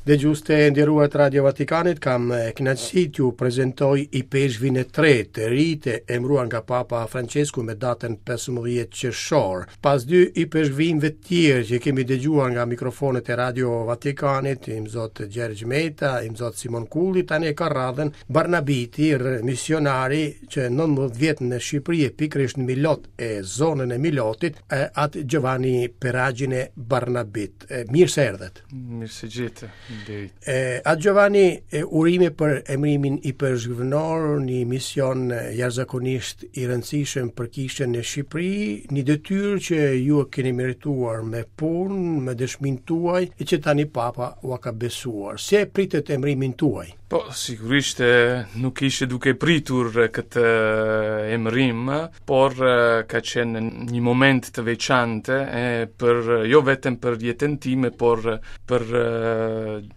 Dëgjues të nderuar të Radio Vatikanit, kam kënaqësi t'ju prezantoj ipeshkvin e tretë të ri të emëruar nga Papa Francesku me datën 15 qershor. Pas dy ipeshkvinve të tjerë që kemi dëgjuar nga mikrofonët e Radio Vatikanit, Imzot Gjergj Meta, Imzot Simon Kulli, tani e ka radhën Barnabiti, misionari që 19 vjet në Shqipëri e pikërisht në Milot e zonën e Milotit, At Giovanni Peragine Barnabit. Mirë se erdhët. Mirë se gjeta. Faleminderit. E At Giovanni, e, urime për emërimin ipeshkvnor, një mision jashtëzakonisht i rëndësishëm për kishën në Shqipëri, një detyrë që ju e keni merituar me punë, me dëshminë tuaj, e që tani Papa ua ka besuar. Si e pritët emërimin tuaj? Po, sigurisht nuk ishe duke pritur këtë emërim, por ka qenë një moment të veçantë e për jo vetëm për jetën time, por për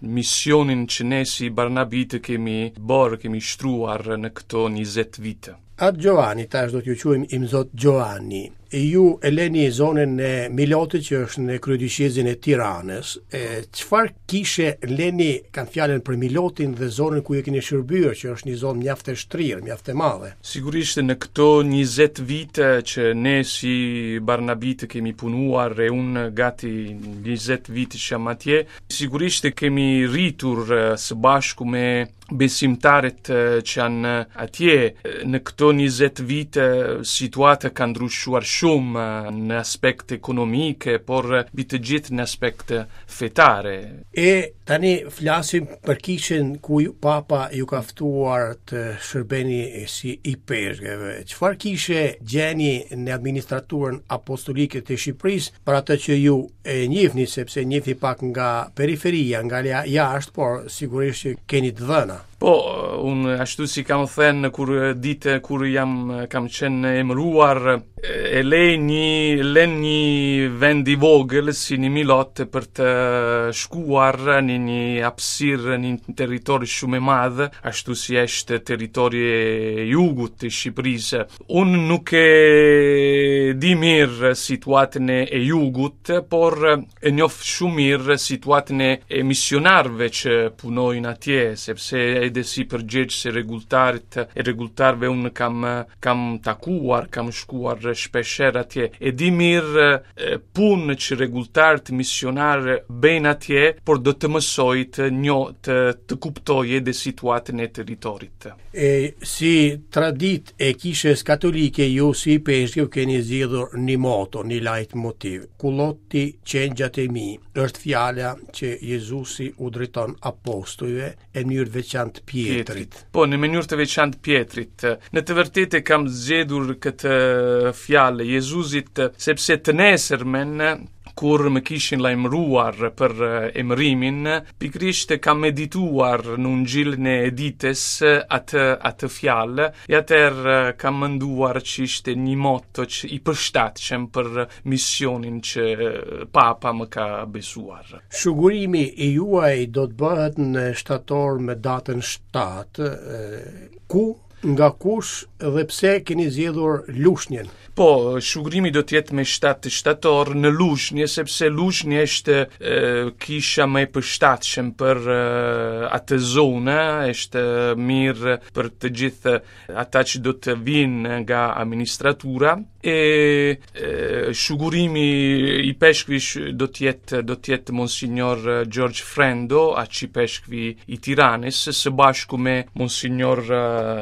misionin që ne si Barnabitë kemi bërë, kemi shtruar në këto 20 vite. At Giovanni, tash do t'ju quajmë Imzot Giovanni. Ju e leni zonën e Milotit që është në kryedioqezën e Tiranës. E çfarë kishe leni kam fjalën për Milotin dhe zonën ku ju keni shërbyer, që është një zonë mjaft e shtrirë, mjaft e madhe. Sigurisht në këto 20 vite që ne si Barnabitë kemi punuar e unë gati 20 vite që jam atje, sigurisht kemi rritur së bashku me besimtarët që janë atje në këto 20 vite situata ka ndryshuar shumë në aspekt ekonomike, por mbi të gjithë në aspekt fetare. E tani flasim për kishën ku Papa ju ka ftuar të shërbeni si ipeshkëv. Çfarë kishe gjeni në administraturën apostolike të Shqipërisë për atë që ju e njihni sepse njihni pak nga periferia, nga jashtë, por sigurisht që keni të dhëna. Po, unë ashtu si kam thënë kur ditë kur jam kam qenë emëruar, e le një lë një vend i vogël si një Milot për të shkuar në një hapësirë, në një territor shumë i madh, ashtu si është territori i jugut të Shqipërisë. Unë nuk e di mirë situatën e jugut, por e njoh shumë mirë situatën e misionarëve që punojnë atje, sepse edhe si përgjegjës e rregulltarit e rregulltarëve unë kam kam takuar, kam shkuar shpeshherë atje. E di mirë punë që rregulltarët misionarë bëjnë atje, por do të mësoj të njoh të të kuptoj edhe situatën e territorit. E si traditë e kishës katolike ju si ipeshkëv keni zgjedhur një moto, një lajtmotiv. Kullotni qengjat e mi, është fjala që Jezusi u drejton apostujve e në mënyrë të veçantë Pjetrit. Po, në mënyrë të veçantë Pjetrit. Në të vërtetë kam zgjedhur këtë fjalë Jezusit sepse të nesërmen kur më kishin lajmëruar për emërimin, pikërisht kam medituar në ungjillin e ditës atë atë fjalë, e atëherë kam menduar që ishte një moto që i përshtatshëm për misionin që Papa më ka besuar. Shugurimi i juaj do të bëhet në shtator me datën 7, ku Nga kush dhe pse keni zgjedhur Lushnjën? Po, shugurimi do të jetë me 7 shtator në Lushnjë, sepse Lushnjë është e, kisha më e përshtatshëm për e, atë zonë, është mirë për të gjithë ata që do të vinë nga administratura e, e shugurimi ipeshkvi do të jetë do të jetë Monsignor George Frendo, arqipeshkvi i Tiranës, së bashku me Monsignor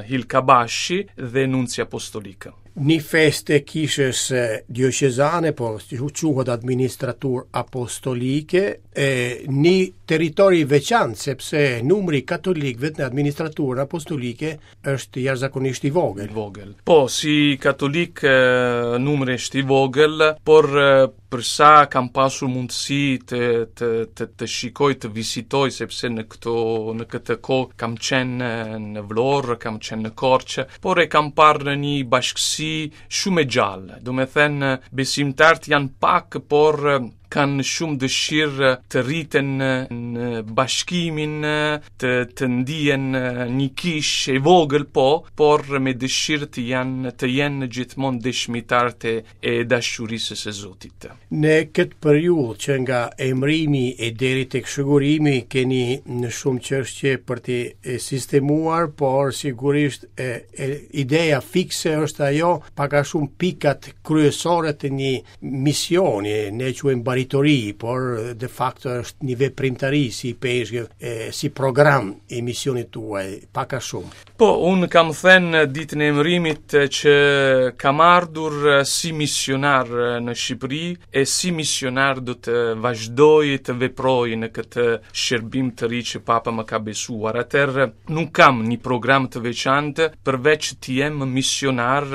Hilë Kabashi dhe Nunci Apostolik. Një festë e kishës dioqezane, po quhet administraturë apostolike, e një territor i veçantë, sepse numri i katolikëve në administraturën apostolike është jashtëzakonisht i vogël. I vogël. Po, si katolik numri është i vogël, por për sa kam pasur mundësi të të të, të shikoj, të vizitoj sepse në këto në këtë kohë kam qenë në Vlorë, kam qenë në Korçë, por e kam parë në një bashkësi shumë e gjallë. Domethënë besimtarët janë pak, por Kanë shumë dëshirë të rriten në bashkimin, të të ndihen një kishë e vogël po, por me dëshirë të janë të jenë gjithmonë dëshmitarë të e dashurisë së Zotit. Në këtë periudhë që nga emërimi e deri tek shugurimi keni në shumë çështje për të sistemuar, por sigurisht e, e, ideja fikse është ajo pak a shumë pikat kryesore të një misioni, ne e quajmë baritori, por de facto është një veprimtari si ipeshkëv, e, si program i misionit tuaj, pak a shumë. Po, unë kam thënë ditën e emërimit që kam ardhur si misionar në Shqipëri e si misionar do të vazhdoj të veproj në këtë shërbim të ri që Papa më ka besuar. Atëherë nuk kam një program të veçantë përveç të jem misionar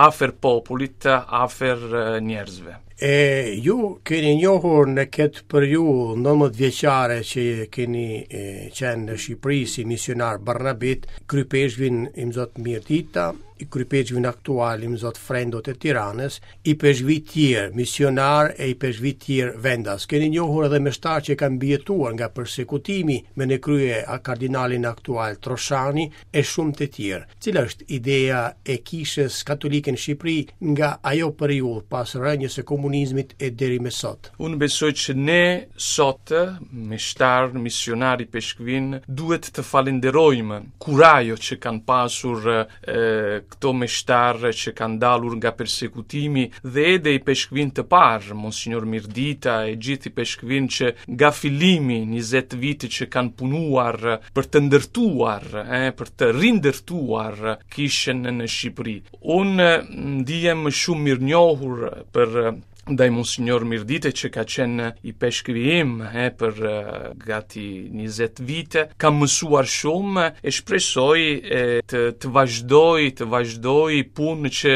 Afer popullit, afer njerëzve. E ju keni njohur në këtë periudhë 19 vjeçare që keni e, qenë në Shqipëri si misionar Barnabit, kryepeshkvin Imzot Mirdita, kryepeshkvin aktual Imzot Frendo të Tiranës, ipeshkvij tjerë, misionarë e ipeshkvij tjerë vendas. Keni njohur edhe meshtarë që kanë mbijetuar nga persekutimi me në krye a kardinalin aktual Troshani e shumë të tjerë. Cila është ideja e Kishës Katolike në Shqipëri nga ajo periudhë pas rënies së komunizmit e deri më sot? Unë besoj që ne sot, meshtarë, misionarë, ipeshkvinj, duhet të falenderojmë kurajo që kanë pasur e, këto meshtarë që kanë dalur nga persekutimi dhe edhe ipeshkvinj të parë, Monsignor Mirdita e gjithë ipeshkvinj që nga fillimi 20 vite që kanë punuar për të ndërtuar, e, për të rindërtuar kishën në Shqipëri. Unë ndihem shumë mirënjohur për ndaj Monsignor Mirdite që ka qenë ipeshkvi im e, për gati 20 vite. Kam mësuar shumë e shpresoj e, të, të vazhdoj, të vazhdoj punë që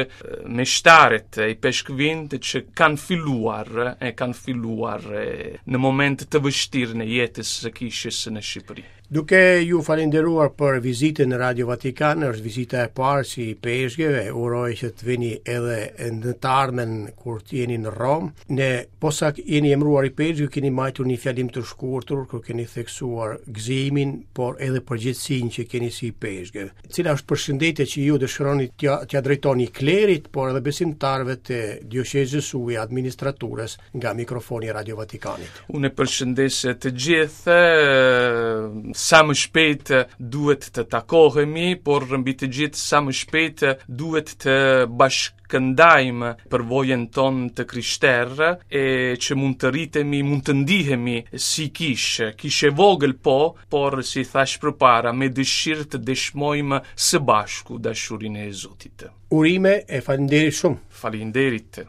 meshtarët e ipeshkvinjtë që kanë filluar, e kanë filluar e, në moment të vështirë në jetës së kishës në Shqipëri. Duke ju falenderuar për vizitën në Radio Vatikan, është vizita e parë si ipeshkëv, uroj që të vini edhe në të ardhmen kur të jeni në Romë. Ne posa jeni emëruar ipeshkëv, keni mbajtur një fjalim të shkurtër ku keni theksuar gëzimin, por edhe përgjegjësinë që keni si ipeshkëv. Cila është përshëndetja që ju dëshironi t'ia t'ia drejtoni klerit, por edhe besimtarëve të dioqezës suaj, administraturës nga mikrofoni i Radio Vatikanit? Unë e përshëndes të gjithë, sa më shpejt duhet të takohemi, por mbi të gjithë sa më shpejt duhet të bashkëndajmë përvojën tonë të krishterë e që mund të rritemi, mund të ndihemi si kishë, kishë e vogël po, por si thashë përpara, me dëshirë të dëshmojmë së bashku dashurinë e Zotit. Urime e faleminderit shumë. Faleminderit.